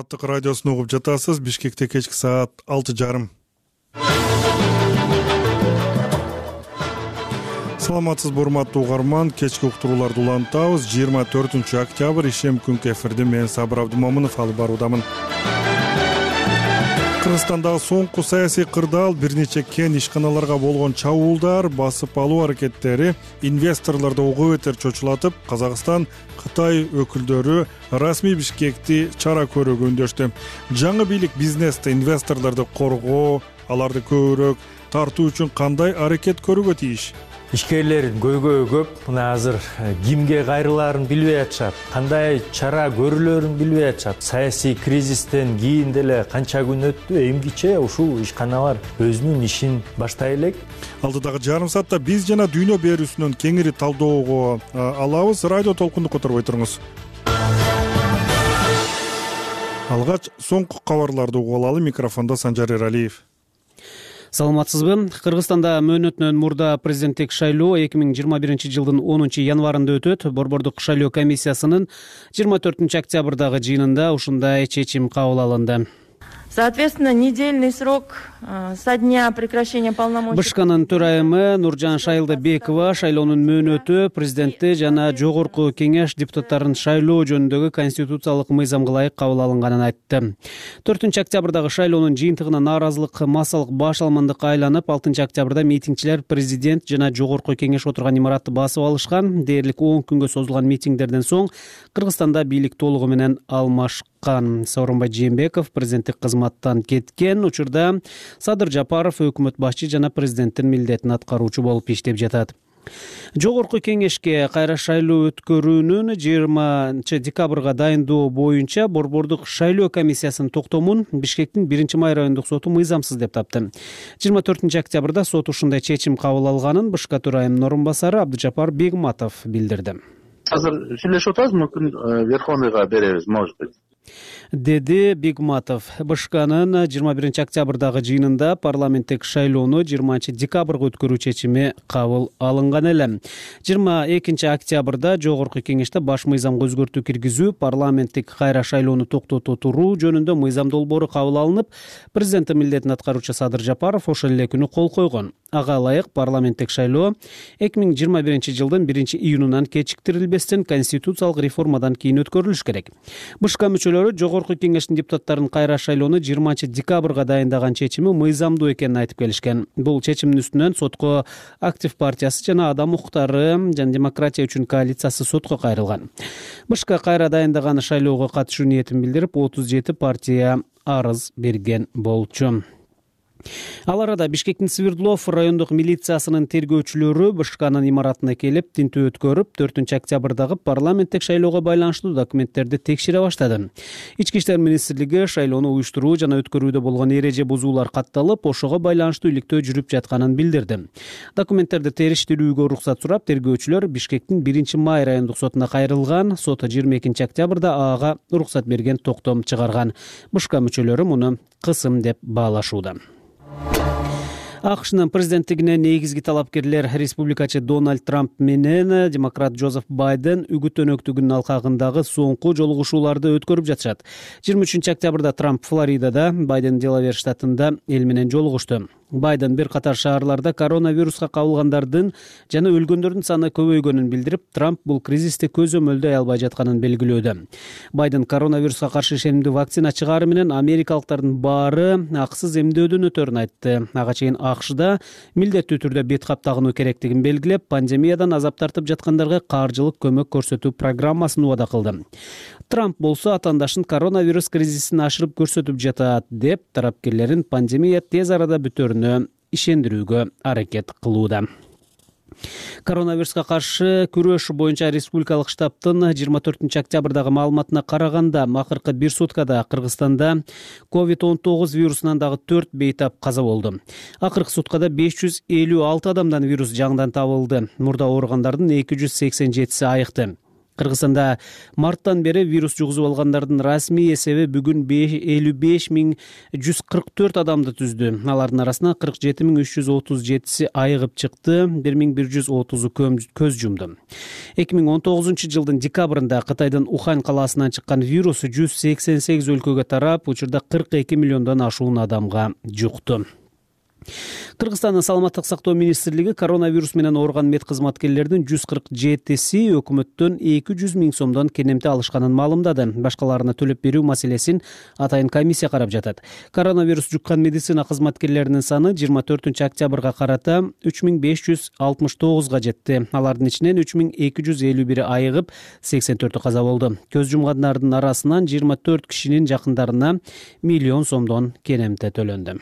Аттык радиосун угуп жатасыз. Бишкекте кечки саат 6:30. Саламатсызбы урматтуу угарман, кечки уктурууларды улантабыз. 24 октябрь ишем күнкү эфирде мен Сабыр Абдымомунов алып баруудамын. Кыргызстандагы соңку саясий кырдаал, бир нече кен ишканаларга болгон чабуулдар, басып алуу аракеттери инвесторлорду угу бетер чочулатып, Казакстан, Кытай өкүлдөрү расмий Бишкекти чара көрүүгө үндөштү. Жаңы бийлик бизнесте инвесторлорду коргоо, аларды көбүрөөк тартуу үчүн кандай аракет көрүүгө тийиш? Ишкерлердин көйгөйү көп. Мына азыр кимге кайрылаарын билбей атышат, кандай чара көрүлөрүн билбей атышат. Саясий кризистен кийин деле канча күн өттү, эмгиче ушул ишканалар өзүнүн ишин баштай элек. Алдыдагы жарым саатта биз жана дүйнө берүүсүнөн кеңири талдоого алабыз. Радио толкунду которбой туруңуз. Алгач соңку кабарларды угуп алалы. Микрофондо Санжар Эралиев. Саламатсызбы? Кыргызстанда мөөнөтүнөн мурда президенттик шайлоо 2021 жылдын 10 январында өтөт. Борбордук шайлоо комиссиясынын 24 октябрдагы жыйынында ушундай чечим кабыл алынды. Соответственно, недельный срок со дня прекращения полномочий. БШКнын төрайымы Нуржан Шайылдабекова шайлоонун мөөнөтү президентти жана жогорку кеңеш депутаттарын шайлоо жөнүндөгү конституциялык мыйзамга ылайык кабыл алынганын айтты. 4 октябрдагы шайлоонун жыйынтыгына нааразылык массалык баш алмандыкка айланып, 6 октябрда митингчилер президент жана жогорку кеңеш отурган имаратты басып алышкан. Дээрлик 10 күнгө созулган митингдерден соң Кыргызстанда бийлик толугу менен алмашкан. Сооронбай Жээнбеков президенттик кызматтан кеткен учурда Садыр Жапаров өкмөт башчы жана президенттин милдетин аткаруучу болуп иштеп жатат. Жогорку кеңешке кайра шайлоо өткөрүүнүн 20 декабрга дайындоо боюнча борбордук шайлоо комиссиясынын токтомун Бишкектин 1-май райондук соту мыйзамсыз деп тапты. 24 октябрда сот ушундай чечим кабыл алганын БШК төрайымынын орун басары Абдыжапар Бегматов билдирди. Азыр сүйлөшүп атабыз, мүмкүн Верховныйга беребиз, может быть, деди Бегматов. БШКнын 21 октябрдагы жыйынында парламенттик шайлоону 20 декабрга өткөрүү чечими кабыл алынган эле. 22 октябрда жогорку кеңеште баш мыйзамга өзгөртүү киргизүү, парламенттик кайра шайлоону токтото туруу жөнүндө мыйзам долбоору кабыл алынып, президенттин милдетин аткаруучу Садыр Жапаров ошол эле күнү кол койгон. Ага ылайык парламенттик шайлоо 2021 жылдын 1-июнунан кечиктирилбестен конституциялык реформадан кийин өткөрүлүш керек. БШК мүчөлөрү жогорку кеңештин депутаттарын кайра шайлоону 20 декабрга дайындаган чечими мыйзамдуу экенин айтып келишкен. Бул чечимдин үстүнөн сотко Актив партиясы жана Адам укуктары жана демократия үчүн коалициясы сотко кайрылган. БШК кайра дайындаган шайлоого катышуу ниетин билдирип, 37 партия арыз берген болчу. Ал арада Бишкектин Свердлов райондук милициясынын тергөөчүлөрү БШКнын имаратына келип, тинтүү өткөрүп, 4 октябрдагы парламенттик шайлоого байланыштуу документтерди текшере баштады. Ички иштер министрлиги шайлоону уюштуруу жана өткөрүүдө болгон эреже бузуулар катталып, ошого байланыштуу иликтөө жүрүп жатканын билдирди. Документтерди териштирүүгө уруксат сурап, тергөөчүлөр Бишкектин 1-май райондук сотуна кайрылган. Сот 22 октябрда ага уруксат берген токтом чыгарган. БШК мүчөлөрү муну кысым деп баалашууда. АКШнын президенттигине негизги талапкерлер республикачы Дональд Трамп менен демократ Джозеф Байден үгүт өнөктүгүнүн алкагындагы соңку жолугушууларды өткөрүп жатышат. 23 октябрда Трамп Флоридада, Байден Делавер штатында эл менен жолугушту. Байден бир катар шаарларда коронавируска кабылгандардын жана өлгөндөрдүн саны көбөйгөнүн билдирип, Трамп бул кризисти көзөмөлдөй албай жатканын белгилөөдө. Байден коронавируска каршы ишенимдүү вакцина чыгаары менен америкалыктардын баары акысыз эмдөөдөн өтөрүн айтты. Ага чейин АКШда милдеттүү түрдө бет кап тагынуу керектигин белгилеп, пандемиядан азап тартып жаткандарга каржылык көмөк көрсөтүү программасын убада кылды. Трамп болсо атаандашын коронавирус кризисин ашырып көрсөтүп жатат деп, тарапкерлерин пандемия тез арада бүтөрүнө ишендирүүгө аракет кылууда. Коронавируска каршы күрөш боюнча республикалык штабтын 24 октябрдагы маалыматына караганда, акыркы бир суткада Кыргызстанда COVID-19 вирусунан дагы 4 бейтап каза болду. Акыркы суткада 556 адамдан вирус жаңыдан табылды. Мурда ооругандардын 287си айыкты. Кыргызстанда марттан бери вирус жугузуп алгандардын расмий эсеби бүгүн 55.144 адамды түздү. Алардын арасынан 47.337 айыгып чыкты, 1.130 көз жумду. 2019 жылдын декабрында Кытайдын Ухань калаасынан чыккан вирус 188 өлкөгө тарап, учурда 42 миллиондон ашуун адамга жукту. Кыргызстандын саламаттык сактоо министрлиги коронавирус менен ооруган мед кызматкерлердин 147си өкмөттөн 200 миң сомдон кенемте алышканын маалымдады. Башкаларына төлөп берүү маселесин атайын комиссия карап жатат. Коронавирус жуккан медицина кызматкерлеринин саны 24 октябрга карата 3569га жетти. Алардын ичинен 3251 айыгып, 84 каза болду. Көз жумгандардын арасынан 24 кишинин жакындарына миллион сомдон кенемте төлөндү.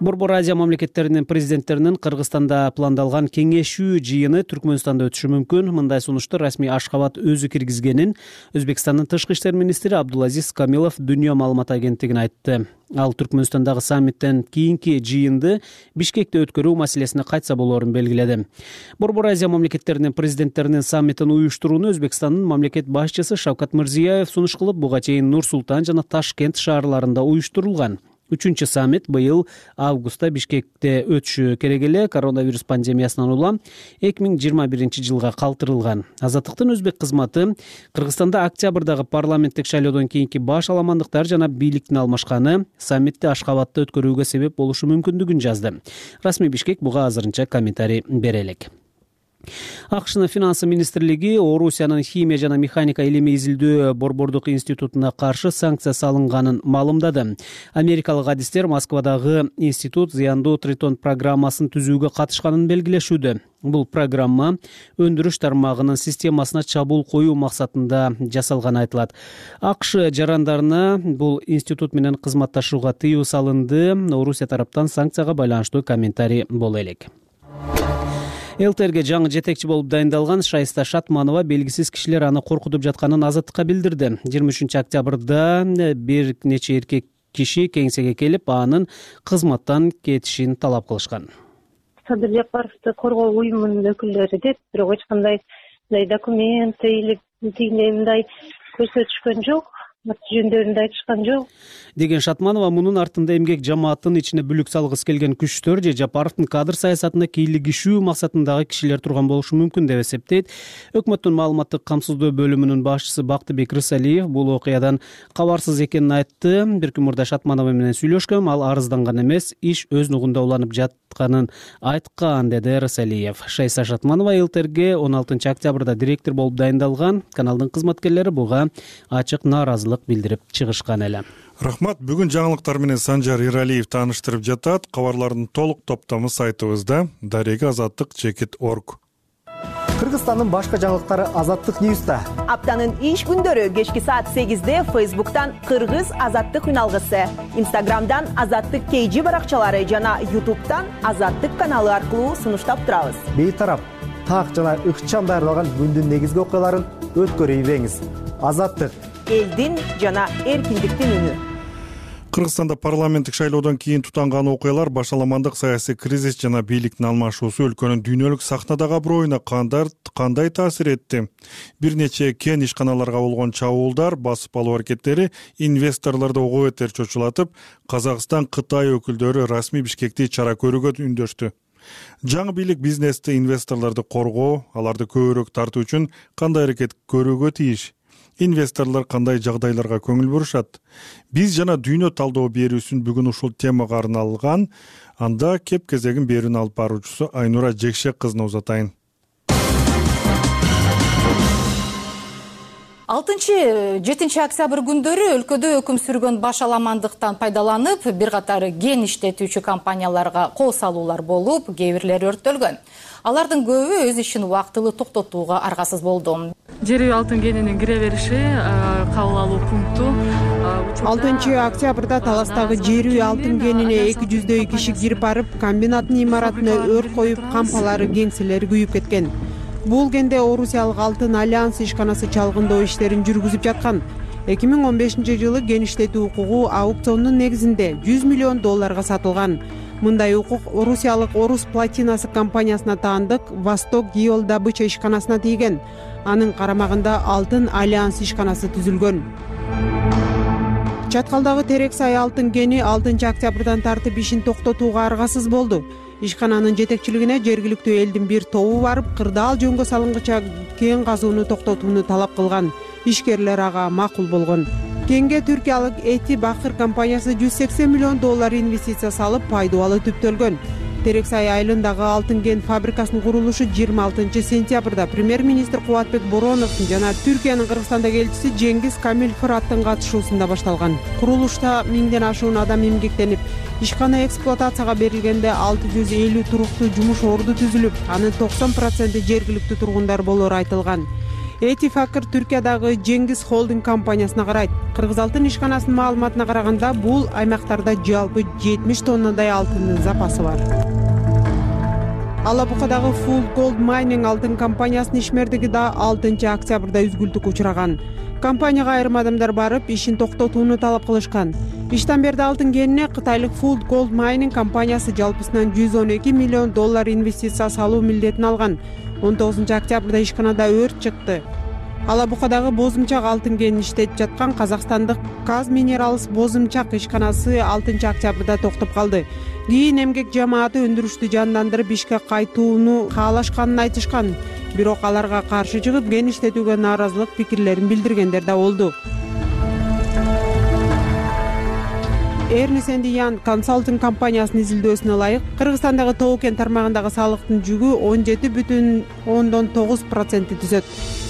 Борбор Азия мамлекеттеринин президенттеринин Кыргызстанда пландалган кеңешүү жыйыны Түркмөнстанда өтүшү мүмкүн. Мындай сунушту расмий Ашхабад өзү киргизгенин Өзбекстандын тышкы иштер министри Абдулазиз Камилов Дүйнө маалымат агенттигине айтты. Ал Түркмөнстандагы саммиттен кийинки жыйынды Бишкекте өткөрүү маселесине кайтса болоорун белгиледи. Борбор Азия мамлекеттеринин президенттеринин саммитин уюштурууну Өзбекстандын мамлекет башчысы Шавкат Мирзиёев сунуш кылып, буга чейин Нур-Султан жана Ташкент шаарларында уюштурулган. 3-чү саммит быйыл августта Бишкекте өтүшү керек эле, коронавирус пандемиясынан улам 2021 жылга калтырылган. Азаттыктын өзбек кызматы Кыргызстанда октябрдагы парламенттик шайлоодон кийинки баш аламандыктар жана бийликтин алмашканы саммитти Ашхабадда өткөрүүгө себеп болушу мүмкүндүгүн жазды. Расмий Бишкек буга азырынча комментарий бере элек. АКШнын финансы министрлиги Орусиянын химия жана механика илими изилдөө борбордук институтуна каршы санкция салынганын маалымдады. Америкалык адистер Москвадагы институт зыяндуу тритон программасын түзүүгө катышканын белгилешүүдө. Бул программа өндүрүш тармагынын системасына чабуул коюу максатында жасалганы айтылат. АКШ жарандарына бул институт менен кызматташууга тыюу салынды. Орусия тараптан санкцияга байланыштуу комментарий боло элек. ЛТРге жаңы жетекчи болуп дайындалган Шайста Шатманова белгисиз кишилер аны коркутуп жатканын Азаттыкка билдирди. 23 октябрда бир нече эркек киши кеңсеге келип, анын кызматтан кетишин талап кылышкан. Садыр Жапаровду коргоо уюмунун өкүлдөрү деп, бирок эч кандай документ или мындай көрсөтүшкөн жок. Жөндөрүндө айтышкан жок деген Шатманова мунун артында эмгек жамааттын ичине бүлүк салгысы келген күчтөр же Жапаровдун кадр саясатына кийлигишүү максатындагы кишилер турган болушу мүмкүн деп эсептейт. Өкмөттүн маалыматтык камсыздоо бөлүмүнүн башчысы Бактыбек Рысалиев бул окуядан кабарсыз экенин айтты. Бир күн мурда Шатманова менен сүйлөшкөм, ал арызданган эмес, иш өз нугунда уланып жатканын айткан, деди Рысалиев. Шайса Шатманова ЛТРге 16 октябрда директор болуп дайындалган. Каналдын кызматкерлери буга ачык нааразылык билдирип чыгышкан эле. Рахмат. Бүгүн жаңылыктар менен Санжар Иралиев тааныштырып жатат. Кабарлардын толук топтому сайтыбызда daregeazattik.org. Кыргызстандын башка жаңылыктары Азаттык Ньюста. Аптанын иш күндөрү кечки саат 8-де Facebook'тан Кыргыз Азаттык үналгысы, Instagram'дан Азаттык KG баракчалары жана YouTube'тан Азаттык каналы аркылуу сунуштап турабыз. Бейтарап, так жана ыкчам даярдалган күндүн негизги окуяларын өткөрүп бериңиз. Азаттык элдин жана эркиндиктин үнү. Кыргызстанда парламенттик шайлоодон кийин тутанган окуялар, башаламандык, саясий кризис жана бийликтин алмашуусу өлкөнүн дүйнөлүк сахнадагы аброюна кандай таасир этти? Бир нече кен ишканаларга болгон чабуулдар, басып алуу аракеттери инвесторлорду ого бетер чочулатып, Казакстан, Кытай өкүлдөрү расмий Бишкекти чара көрүүгө үндөштү. Жаңы бийлик бизнести, инвесторлорду коргоо, аларды көбүрөөк тартуу үчүн кандай аракет көрүүгө тийиш? Инвесторлор кандай жагдайларга көңүл бурушат? Биз жана дүйнө талдоо берүүсүн бүгүн ушул темага арналган. Анда кеп кезегин берүүнү алып баруучусу Айнура Жекшек кызына узатайын. 6-7 октябрь күндөрү өлкөдө өкүм сүргөн башаламандыктан пайдаланып, бир катары кен иштетүүчү компанияларга кол салуулар болуп, кээ бирлери өрттөлгөн. Алардын көбү өз ишин убактылуу токтотууга аргасыз болду. Жер үй алтын кенинин кире бериши кабыл алуу пункту 6 октябрда Таластагы жер үй алтын кенине 200 киши кирип барып, комбинаттын имаратына өрт коюп, кампалары, кеңселери күйүп кеткен. Бул кенде Орусиялык Алтын Альянс ишканасы чалгындоо иштерин жүргүзүп жаткан. 2015 жылы кен иштетүү укугу аукциондун негизинде $100 миллион сатылган. Мындай укук Орусиялык Орус платинасы компаниясына таандык Восток Геол добыча ишканасына тийген. Анын карамагында Алтын альянс ишканасы түзүлгөн. Чаткалдагы Терексай алтын кени 6 октябрдан тартып ишин токтотууга аргасыз болду. Ишкананын жетекчилигине жергиликтүү элдин бир тобу барып, кырдаал жөнгө салынгыча кен казууну токтотууну талап кылган. Ишкерлер ага макул болгон. Кенге түркиялык Эти Бакыр компаниясы $180 миллион инвестиция салып, пайдубалы түптөлгөн. Терексай айылындагы алтын кен фабрикасынын курулушу 26 сентябрда премьер-министр Кубатбек Бороновдун жана Түркиянын Кыргызстандагы элчиси Жеңгиз Камил Фыраттын катышуусунда башталган. Курулушта 1000ден ашуун адам эмгектенип, ишкана эксплуатацияга берилгенде 650 туруктуу жумуш орду түзүлүп, анын 90% жергиликтүү тургундар болору айтылган. Эти Бакыр Түркиядагы Жеңгиз холдинг компаниясына карайт. Кыргыз алтын ишканасынын маалыматына караганда, бул аймактарда жалпы 70 тоннадай алтындын запасы бар. Алабукадагы Full Gold Mining алтын компаниясынын ишмердиги да 6 октябрда үзгүлтүккө учураган. Компанияга айрым адамдар барып, ишин токтотууну талап кылышкан. Иштен берди алтын кенине кытайлык Full Gold Mining компаниясы жалпысынан $112 миллион инвестиция салуу милдетин алган. 19 октябрда ишканада өрт чыкты. Алабукадагы Бозумчак алтын кенин иштетип жаткан казакстандык Каз Минералс Бозумчак ишканасы 6 октябрда токтоп калды. Кийин эмгек жамааты өндүрүштү жандандырып ишке кайтууну каалашканын айтышкан. Бирок аларга каршы чыгып, кен иштетүүгө нааразылык пикирлерин билдиргендер да болду. Ernst & Young консалтинг компаниясынын изилдөөсүнө ылайык, Кыргызстандагы тоо кен тармагындагы салыктын жүгү 17,9% түзөт.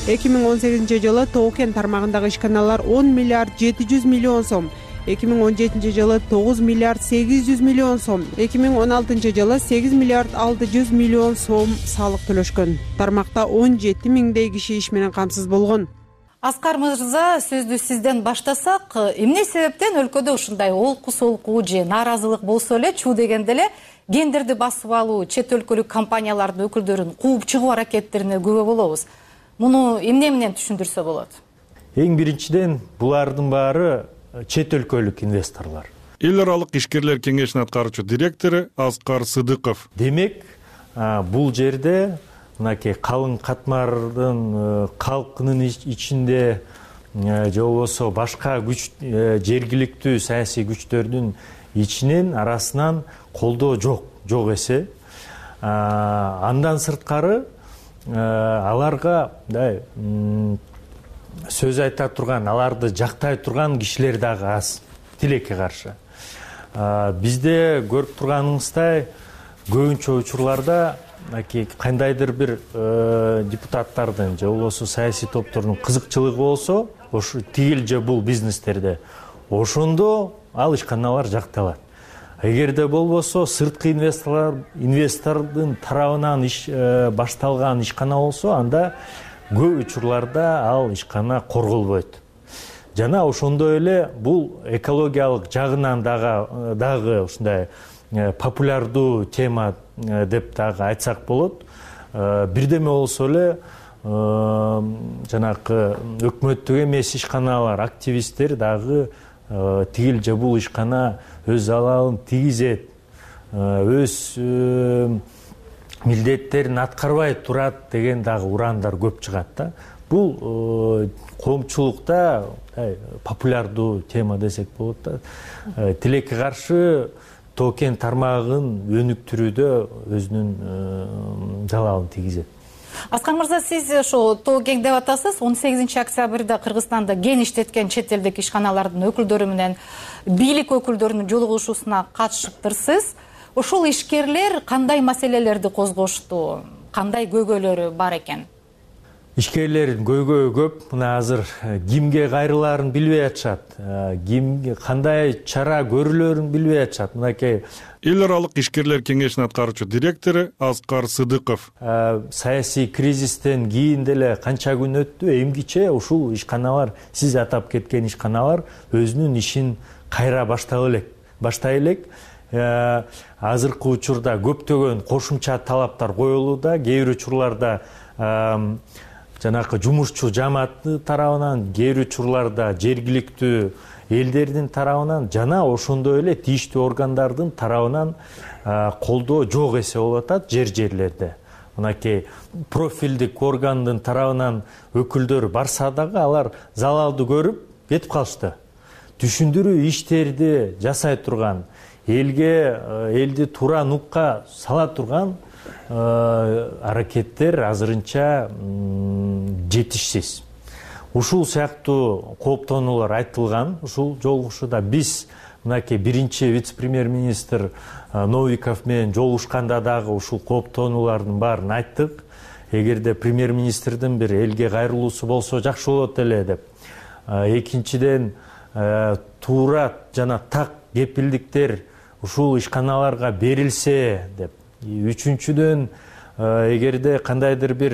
2018 жылы тоо кен тармагындагы ишканалар 10 миллиард 700 миллион сом, 2017 жылы 9 миллиард 800 миллион сом, 2016 жылы 8 миллиард 600 миллион сом салык төлөшкөн. Тармакта 17 миңдей киши иш менен камсыз болгон. Аскар мырза, сөздү сизден баштасак, эмне себептен өлкөдө ушундай олку-солку же нааразылык болсо эле, чуу дегенде эле кендерди басып алуу, чет өлкөлүк компаниялардын өкүлдөрүн кууп чыгуу аракеттерине күбө болобуз. Муну эмне менен түшүндүрсө болот? Эң биринчиден булардын баары чет өлкөлүк инвесторлор. Эл аралык ишкерлер кеңешинин аткаруучу директору Аскар Сыдыков. Демек, бул жерде мынакей калың катмардын калкынын ичинде же болбосо башка күч, жергиликтүү саясий күчтөрдүн ичинен арасынан колдоо жок эсе. Андан сырткары аларга сөз айта турган, аларды жактай турган кишилер дагы аз, тилекке каршы. Бизде көрүп турганыңыздай көбүнчө учурларда кандайдыр бир депутаттардын же болбосо саясий топтордун кызыкчылыгы болсо, ошо тигил же бул бизнестерде, ошондо ал ишканалар жакталат. Эгерде болбосо сырткы инвестордун тарабынан башталган ишкана болсо, анда көп учурларда ал ишкана корголбойт. Жана ошондой эле бул экологиялык жагынан дагы ушундай популярдуу тема деп дагы айтсак болот. Бирдеме болсо эле жанакы өкмөттүк эмес ишканалар, активисттер дагы тигил же бул ишкана өз залалын тийгизет, өз милдеттерин аткарбай турат деген дагы ураандар көп чыгат да. Бул коомчулукта популярдуу тема десек болот да. Тилекке каршы тоо кен тармагын өнүктүрүүдө өзүнүн залалын тийгизет. Аскар мырза, сиз ошо тоо кен деп атасыз. 18 октябрда Кыргызстанда кен иштеткен чет элдик ишканалардын өкүлдөрү менен бийлик өкүлдөрүнүн жолугушуусуна катышыптырсыз. Ошол ишкерлер кандай маселелерди козгошту? Кандай көйгөйлөрү бар экен? Ишкерлердин көйгөйү көп. Мына азыр кимге кайрылаарын билбей атышат. Кандай чара көрүлөрүн билбей атышат. Мынакей Эл аралык ишкерлер кеңешинин аткаруучу директору Аскар Сыдыков. Саясий кризистен кийин деле канча күн өттү, эмгиче ушул ишканалар, сиз атап кеткен ишканалар өзүнүн ишин кайра баштай элек. Азыркы учурда көптөгөн кошумча талаптар коюлууда. Кээ бир учурларда жанакы жумушчу жамааты тарабынан, кээ бир учурларда жергиликтүү элдердин тарабынан жана ошондой эле тийиштүү органдардын тарабынан колдоо жок эсе болуп атат жерлерде. мынакей профилдик органдын тарабынан өкүлдөр барса дагы алар залалды көрүп кетип калышты. Түшүндүрүү иштерди жасай турган, элди туура нукка сала турган аракеттер азырынча жетишсиз. Ушул сыяктуу кооптонуулар айтылган ушул жолугушууда. Биз мынакей биринчи вице-премьер-министр Новиков менен жолугушканда дагы ушул кооптонуулардын баарын айттык. Эгерде премьер-министрдин бир элге кайрылуусу болсо жакшы болот эле деп. Экинчиден туура жана так кепилдиктер ушул ишканаларга берилсе деп. Үчүнчүдөн эгерде кандайдыр бир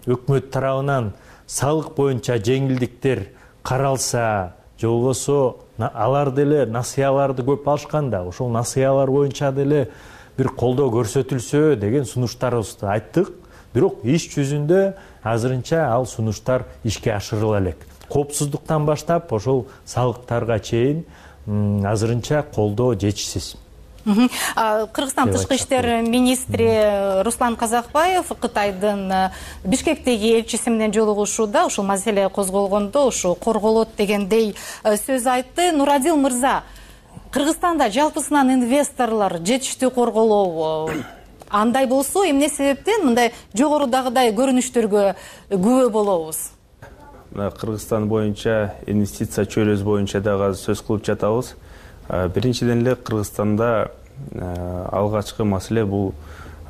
өкмөт тарабынан салык боюнча жеңилдиктер каралса, же болбосо алар деле насыяларды көп алышкан да, ошол насыялар боюнча деле бир колдоо көрсөтүлсө деген сунуштарыбызды айттык. Бирок иш жүзүндө азырынча ал сунуштар ишке ашырыла элек. Коопсуздуктан баштап ошол салыктарга чейин азырынча колдоо жетишсиз. Кыргызстан тышкы иштер министри Руслан Казакбаев Кытайдын Бишкектеги элчиси менен жолугушууда ушул маселе козголгондо ушу корголот дегендей сөз айтты. Нурадил мырза, Кыргызстанда жалпысынан инвесторлор жетиштүү корголоо андай болсо, эмне себептен мындай жогорудагыдай көрүнүштөргө күбө болобуз? Кыргызстан боюнча инвестиция чөйрөсү боюнча дагы сөз кылып жатабыз. Биринчиден эле Кыргызстанда алгачкы маселе бул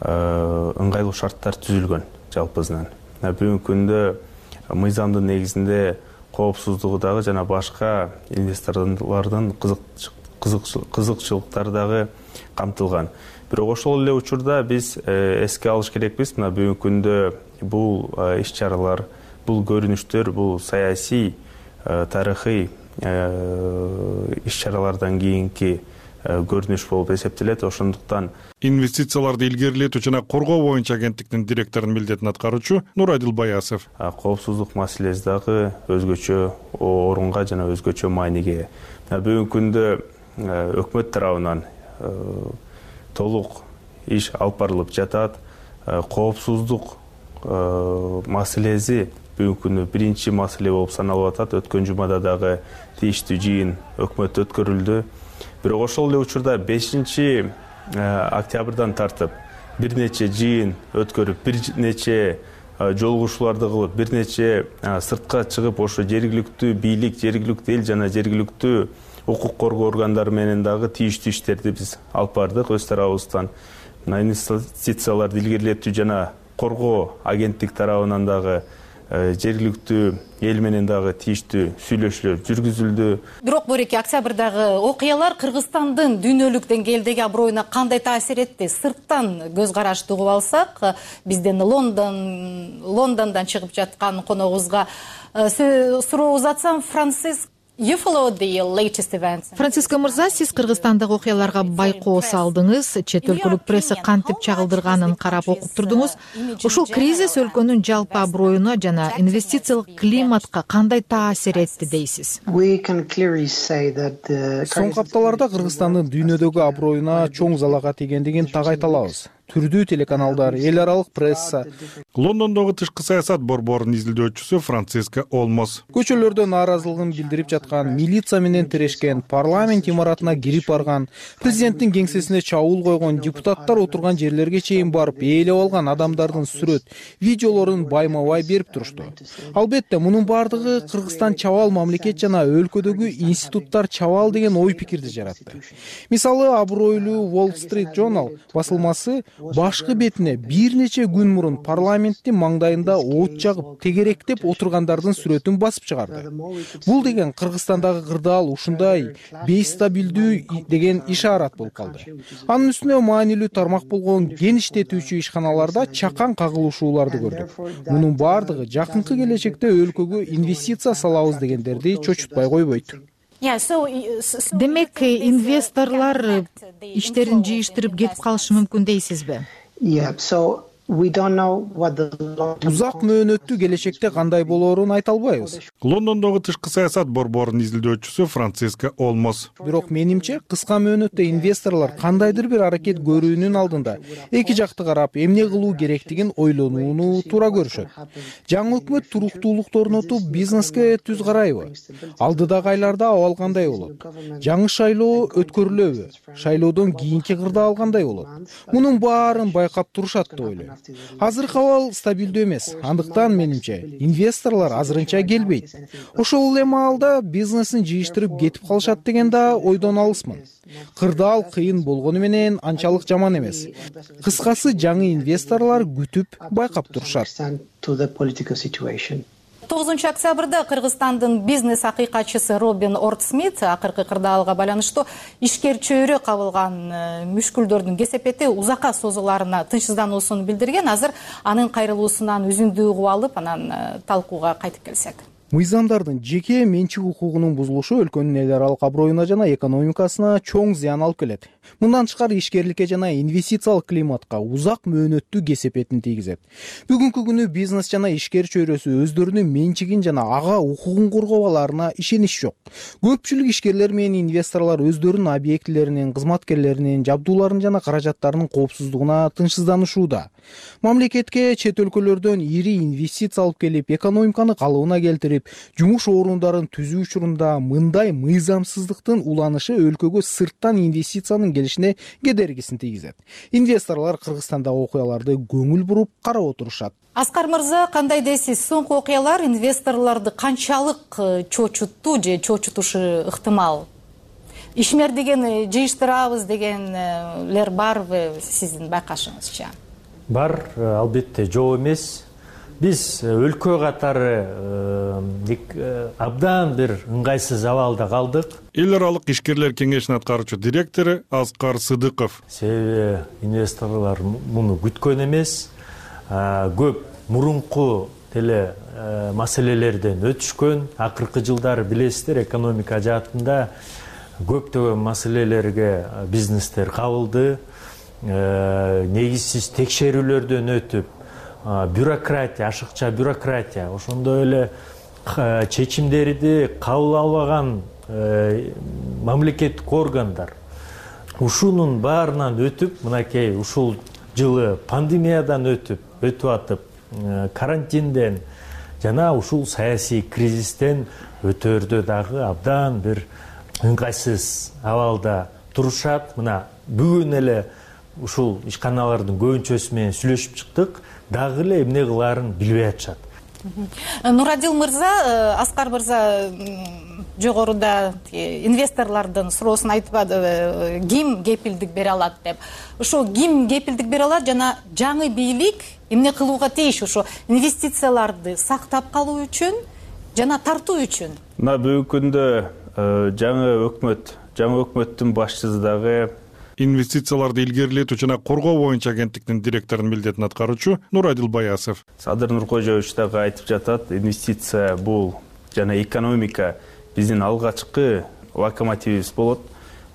ыңгайлуу шарттар түзүлгөн жалпысынан. Бүгүнкү күндө мыйзамдын негизинде коопсуздугу дагы жана башка инвесторлордун кызыкчылыктары дагы камтылган. Бирок ошол эле учурда биз эске алыш керекпиз, мына бүгүнкү күндө бул иш-чаралар, бул көрүнүштөр, бул саясий, тарыхый иш-чаралардан кийинки көрүнүш болуп эсептелет. Ошондуктан инвестицияларды илгерилетүү жана коргоо боюнча агенттиктин директорунун милдетин аткаруучу Нурадил Баясов. Коопсуздук маселеси дагы өзгөчө орунга жана өзгөчө мааниге. Бүгүнкү күндө өкмөт тарабынан толук иш алып барылып жатат. Коопсуздук маселеси бүгүнкү күндө биринчи маселе болуп саналып атат. Өткөн жумада дагы тийиштүү жыйын өкмөттө өткөрүлдү. Бирок ошол эле учурда 5 октябрдан тартып бир нече жыйын өткөрүп, бир нече жолугушууларды кылып, бир нече сыртка чыгып, ошо жергиликтүү бийлик, жергиликтүү эл жана жергиликтүү укук коргоо органдары менен дагы тийиштүү иштерди биз алып бардык өз тарабыбыздан. Инвестицияларды илгерилетүү жана коргоо агенттик тарабынан дагы жергиликтүү эл менен дагы тийиштүү сүйлөшүүлөр жүргүзүлдү. Бирок Бөреке, октябрдагы окуялар Кыргызстандын дүйнөлүк деңгээлдеги аброюна кандай таасир этти? Сырттан көз карашты угуп алсак, бизден Лондондан чыгып жаткан коногубузга суроо узатсам, Франциско мырза, сиз Кыргызстандагы окуяларга байкоо салдыңыз, чет өлкөлүк пресса кантип чагылдырганын карап окуп турдуңуз. Ушул кризис өлкөнүн жалпы аброюна жана инвестициялык климатка кандай таасир этти дейсиз? Соңку апталарда Кыргызстандын дүйнөдөгү аброюна чоң залага тийгендигин так айта алабыз. Түрдүү телеканалдар, эл аралык пресса. Лондондогу тышкы саясат борборунун изилдөөчүсү Франциско Олмос. Көчөлөрдө нааразылыгын билдирип жаткан, милиция менен тирешкен, парламент имаратына кирип барган, президенттин кеңсесине чабуул койгон, депутаттар отурган жерлерге чейин барып ээлеп алган адамдардын сүрөт, видеолорун байма-бай берип турушту. Албетте, мунун бардыгы Кыргызстан чабал мамлекет жана өлкөдөгү институттар чабал деген ой пикирди жаратты. Мисалы, абройлуу Wall Street Journal басылмасы башкы бетине бир нече күн мурун парламенттин маңдайында от жагып, тегеректеп отургандардын сүрөтүн басып чыгарды. Бул деген Кыргызстандагы кырдаал ушундай бейстабилдүү деген ишарат болуп калды. Анын үстүнө маанилүү тармак болгон геништетүүчү ишканаларда чакан кагылышууларды көрдүк. Мунун бардыгы жакынкы келечекте өлкөгө инвестиция салабыз дегендерди чочутпай койбойт. Демек, инвесторлор иштерин жыйыштырып кетип калышы мүмкүн дейсизби? узак мөөнөттүү келечекте кандай болоорун айта албайбыз. Лондондогу тышкы саясат борборунун изилдөөчүсү Франциска Олмос. Бирок менимче кыска мөөнөттө инвесторлор кандайдыр бир аракет көрүүнүн алдында эки жакты карап эмне кылуу керектигин ойлонууну туура көрүшөт. Жаңы өкмөт туруктуулукту орнотуп бизнеске түз карайбы? Алдыдагы айларда абал кандай болот? Жаңы шайлоо өткөрүлөбү? Шайлоодон кийинки кырдаал кандай болот? Мунун баарын байкап турушат деп ойлойм. Азыркы абал стабилдүү эмес. Андыктан менимче инвесторлор азырынча келбейт. Ошол эле маалда бизнесин жыйыштырып кетип калышат деген да ойдон алысмын. Кырдаал кыйын болгону менен анчалык жаман эмес. Кыскасы жаңы инвесторлор күтүп байкап турушат. 9 октябрда Кыргызстандын бизнес акыйкатчысы Робин Ортсмит акыркы кырдаалга байланыштуу ишкер чөйрө кабылган мүшкүлдөрдүн кесепети узакка созуларына тынчсыздануусун билдирген. Азыр анын кайрылуусунан үзүндүү угуп алып, анан талкууга кайтып келсек. Мыйзамдардын жеке менчик укугунун бузулушу өлкөнүн эл аралык аброюна жана экономикасына чоң зыян алып келет. Мындан тышкары ишкерликке жана инвестициялык климатка узак мөөнөттүү кесепетин тийгизет. Бүгүнкү күнү бизнес жана ишкер чөйрөсү өздөрүнүн менчигин жана ага укугун коргоо аларына ишенич жок. Көпчүлүк ишкерлер менен инвесторлор өздөрүнүн объектилеринин, кызматкерлеринин, жабдууларынын жана каражаттарынын коопсуздугуна тынчсызданышууда. Мамлекетке чет өлкөлөрдөн ири инвестиция алып келип, экономиканы калыбына келтирип, жумуш орундарын түзүү учурунда мындай мыйзамсыздыктын уланышы өлкөгө сырттан инвестициянын келишине кедергисин тийгизет. Инвесторлор Кыргызстандагы окуяларды көңүл буруп карап отурушат. Аскар мырза, кандай дейсиз? Соңку окуялар инвесторлорду канчалык чочутту же чочутушу ыктымал? Ишмер деген жыйыштырабыз дегенлер барбы сиздин байкашыңызча? Бар, албетте жок эмес. Биз өлкө катары абдан бир ыңгайсыз абалда калдык. Эл аралык ишкерлер кеңешинин аткаруучу директору Аскар Сыдыков. Себеби инвесторлор муну күткөн эмес. Көп мурунку деле маселелерден өтүшкөн. Акыркы жылдары билесиздер, экономика жаатында көптөгөн маселелерге бизнестер кабылды. Негизсиз текшерүүлөрдөн өтүп, бюрократия, ашыкча бюрократия, ошондой эле чечимдерди кабыл албаган мамлекеттик органдар. Ушунун баарынан өтүп, мынакей ушул жылы пандемиядан өтүп атып, карантинден жана ушул саясий кризистен өтөрдө дагы абдан бир ыңгайсыз абалда турушат. Мына бүгүн эле ушул ишканалардын көбүнчөсү менен сүйлөшүп чыктык, дагы эле эмне кылаарын билбей атышат. Нурадил мырза, Аскар мырза жогоруда инвесторлордун суроосун айтпады, ким кепилдик бере алат деп. Ошо ким кепилдик бере алат жана жаңы бийлик эмне кылууга тийиш ошо инвестицияларды сактап калуу үчүн жана тартуу үчүн? Мына бүгүнкү күндө жаңы өкмөттүн башчысы дагы инвестицияларды илгерилетүү жана коргоо боюнча агенттиктин директорунун милдетин аткаруучу Нурадил Баясов. Садыр Нуркожоевич дагы айтып жатат, инвестиция бул жана экономика биздин алгачкы локомотивибиз болот.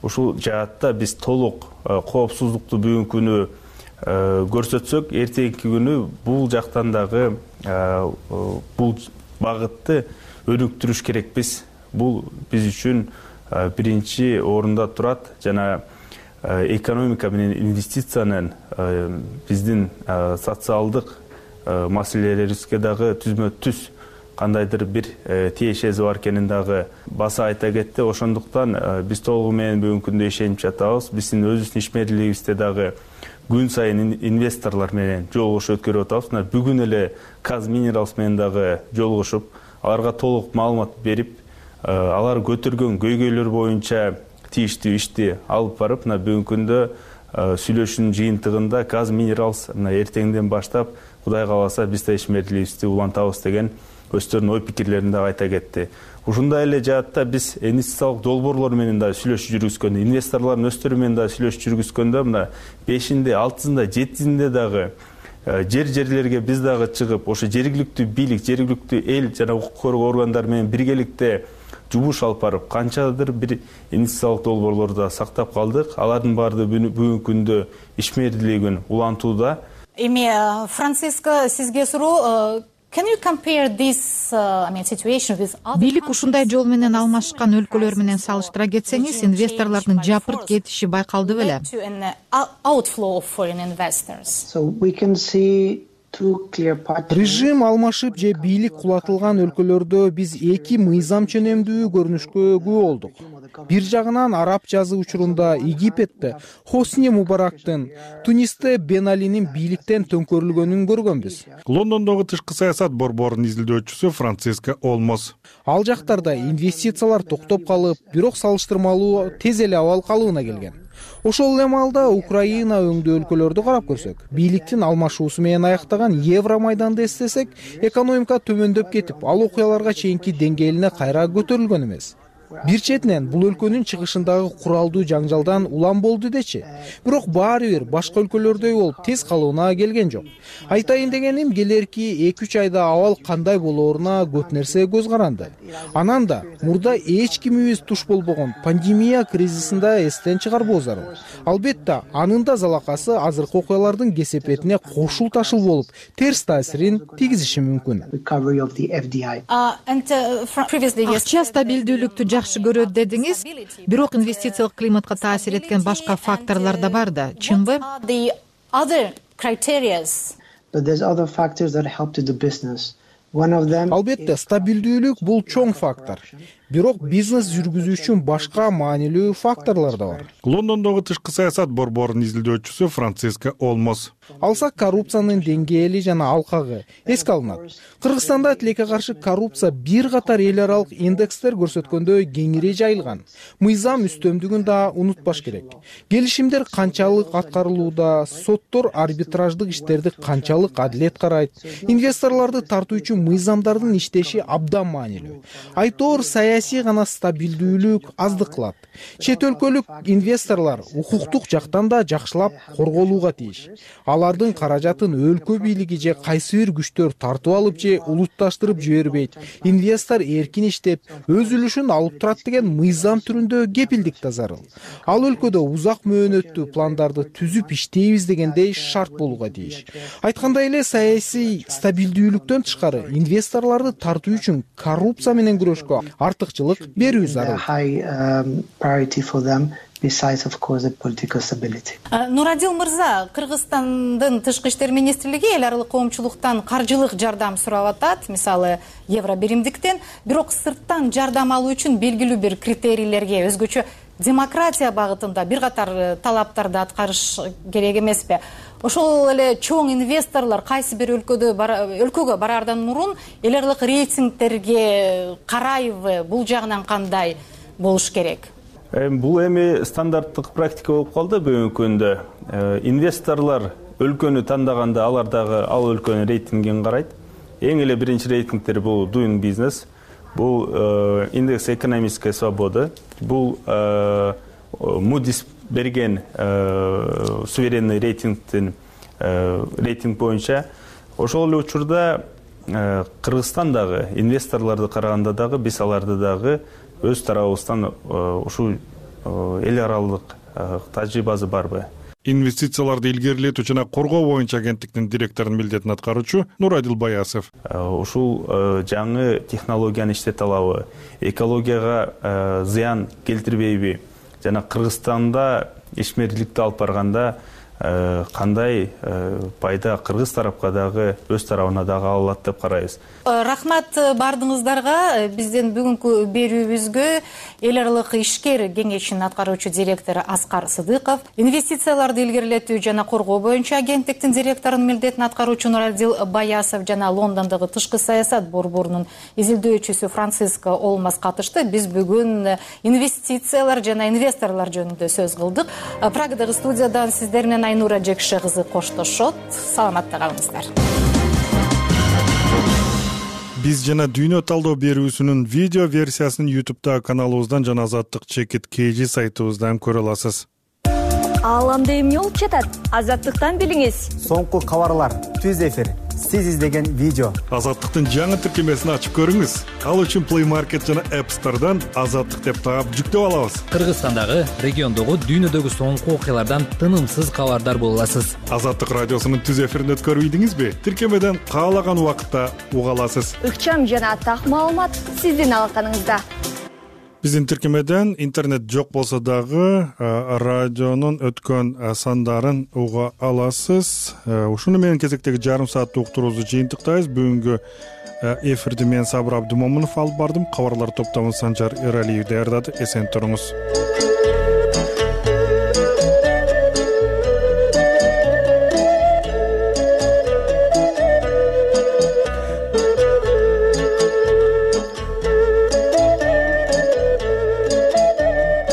Ушул жаатта биз толук коопсуздукту бүгүнкү күнү көрсөтсөк, эртеңки күнү бул жактан дагы бул багытты өнүктүрүш керекпиз. Бул биз үчүн биринчи орунда турат жана экономика менен инвестициянын биздин социалдык маселелерибизге дагы түзмө-түз кандайдыр бир тиешеси бар экенин дагы баса айта кетти. Ошондуктан биз толугу менен бүгүнкү күндө ишенип жатабыз. Биздин өзүбүздүн ишмерлигибизде дагы күн сайын инвесторлор менен жолугушуу өткөрүп атабыз. Бүгүн эле Казминералс менен дагы жолугушуп, аларга толук маалымат берип, алар көтөргөн көйгөйлөр боюнча тийиштүү ишти алып барып, бүгүнкү күндө сүйлөшүүнүн жыйынтыгында Казминералс эртеңден баштап Кудай кааласа биз да ишмерлигибизди улантабыз деген өздөрүнүн ой пикирлерин дагы айта кетти. Ушундай эле жаатта биз инвестициялык долбоорлор менен дагы сүйлөшүү жүргүзгөндө, инвесторлордун өздөрү менен дагы сүйлөшүү жүргүзгөндө, мына 5-inde, 6-ында, 7-inde дагы жерлерге биз дагы чыгып, ошо жергиликтүү бийлик, жергиликтүү эл жана укук коргоо органдары менен биргеликте жумуш алып барып, канчадыр бир инвестициялык долбоорлорду сактап калдык. Алардын баары бүгүнкү күндө ишмердүүлүгүн улантууда. Эми Франциско, сизге суроо. Can you compare this situation with other? Бийлик ушундай жол менен алмашкан өлкөлөр менен салыштыра кетсеңиз, инвесторлордун жапырт кетиши байкалды беле? Outflow of foreign investors. So we can see режим алмашып же бийлик кулатылган өлкөлөрдө биз эки мыйзам ченемдүү көрүнүшкө күбө болдук. Бир жагынан араб жазы учурунда Египетте Хосни Мубарактын, Тунисте Бен Алинин бийликтен төңкөрүлгөнүн көргөнбүз. Лондондогу тышкы саясат борборунун изилдөөчүсү Франциско Олмос. Ал жактарда инвестициялар токтоп калып, бирок салыштырмалуу тез эле абал калыбына келген. Ошол эле маалда Украина өңдүү өлкөлөрдү карап көрсөк, бийликтин алмашуусу менен аяктаган Евро майданды эстесек, экономика төмөндөп кетип, ал окуяларга чейинки деңгээлине кайра көтөрүлгөн эмес. Бир четинен бул өлкөнүн чыгышындагы куралдуу жаңжалдан улам болду дечи. Бирок баары бир башка өлкөлөрдөй болуп тез калыбына келген жок. Айтайын дегеним, келерки 2-3 айда абал кандай болооруна көп нерсе көз каранды. Анан да мурда эч кимибиз туш болбогон пандемия кризисинде эстен чыгарбоо зарыл. Албетте, анын да залакасы азыркы окуялардын кесепетине кошул ташыл болуп, терс таасирин тийгизиши мүмкүн. Акча стабилдүүлүктү жакшы көрөт дедиңиз, бирок инвестициялык климатка таасир эткен башка факторлор да бар да, чынбы? Албетте, стабилдүүлүк бул чоң фактор. Бирок бизнес жүргүзүү үчүн башка маанилүү факторлор да бар. Лондондогу тышкы саясат борборунун изилдөөчүсү Франциско Олмос. Алсак, коррупциянын деңгээли жана алкагы эске алынат. Кыргызстанда тилекке каршы коррупция бир катар эл аралык индекстер көрсөткөндөй кеңири жайылган. Мыйзам үстөмдүгүн да унутпаш керек. Келишимдер канчалык аткарылууда, соттор арбитраждык иштерди канчалык адилет карайт, инвесторлорду тартуу үчүн мыйзамдардын иштеши абдан маанилүү. Айтор саясий гана стабилдүүлүк аздык кылат. Чет өлкөлүк инвесторлор укуктук жактан да жакшылап корголууга тийиш. Алардын каражатын өлкө бийлиги же кайсы бир күчтөр тартып алып же улутташтырып жибербейт. Инвестор эркин иштеп, өз үлүшүн алып турат деген мыйзам түрүндө кепилдик да зарыл. Ал өлкөдө узак мөөнөттүү пландарды түзүп иштейбиз дегендей шарт болууга тийиш. Айткандай эле, саясий стабилдүүлүктөн тышкары инвесторлорду тартуу үчүн коррупция менен күрөшкө артыкчылык берүү зарыл. Нурадил мырза, Кыргызстандын тышкы иштер министрлиги эл аралык коомчулуктан каржылык жардам сурап атат, мисалы евро биримдиктен, бирок сырттан жардам алуу үчүн белгилүү бир критерийлерге, өзгөчө демократия багытында бир катар талаптарды аткарыш керек эмеспи? Ошол эле чоң инвесторлор кайсы бир өлкөгө бараардан мурун эл аралык рейтингтерге карайбы? Бул жагынан кандай болуш керек? Бул эми стандарттык практика болуп калды бүгүнкү күндө. Инвесторлор өлкөнү тандаганда алар дагы ал өлкөнүн рейтингин карайт. Эң эле биринчи рейтингтер бул Doing Business, бул индекс экономической свободы, бул Moody's берген суверенный рейтинг боюнча. Ошол эле учурда Кыргызстандагы инвесторлорду караганда дагы биз аларды дагы өз тарабыбыздан ушул эл аралык тажрыйбасы барбы? Инвестицияларды илгерилетүү жана коргоо боюнча агенттиктин директорунун милдетин аткаруучу Нурадил Баясов. Ушул жаңы технологияны иштете алабы? Экологияга зыян келтирбейби? Жана Кыргызстанда ишмердиликти алып барганда кандай пайда кыргыз тарапка дагы өз тарабына дагы алат деп карайбыз. Рахмат бардыгыңыздарга. Биздин бүгүнкү берүүбүзгө эл аралык ишкер кеңешинин аткаруучу директору Аскар Сыдыков, инвестицияларды илгерилетүү жана коргоо боюнча агенттиктин директорунун милдетин аткаруучу Нурадил Баясов жана Лондондогу тышкы саясат борборунун изилдөөчүсү Франциско Олмос катышты. Биз бүгүн инвестициялар жана инвесторлор жөнүндө сөз кылдык. Прагадагы студиядан сиздер менен Айнура Жекше кызы коштошот. Саламатта калыңыздар. Биз жана дүйнө талдоо берүүсүнүн видео версиясын YouTube'да каналыбыздан жана Азаттык чекит KG сайтыбыздан көрө аласыз. Ааламда эмне болуп жатат? Азаттыктан билиңиз. Соңку кабарлар, түз эфир, сиз издеген видео. Азаттыктын жаңы тиркемесин ачып көрүңүз. Ал үчүн Play Market жана App Store'дан Азаттык деп таап жүктөп алабыз. Кыргызстандагы, региондогу, дүйнөдөгү соңку окуялардан тынымсыз кабардар боло аласыз. Азаттык радиосунун түз эфирин өткөрбөйдүңүзбү? Тиркемеден каалаган убакытта уга аласыз. Ыкчам жана так маалымат сиздин алаканыңызда. Биздин тиркемеден интернет жок болсо дагы радионун өткөн сандарын уга аласыз. Ушуну менен кезектеги жарым сааттык уктуруубузду жыйынтыктайбыз. Бүгүнкү эфирди мен Сабыр Абдымомунов алып бардым. Кабарлар топтомун Санжар Эралиев даярдады. Эсен туруңуз.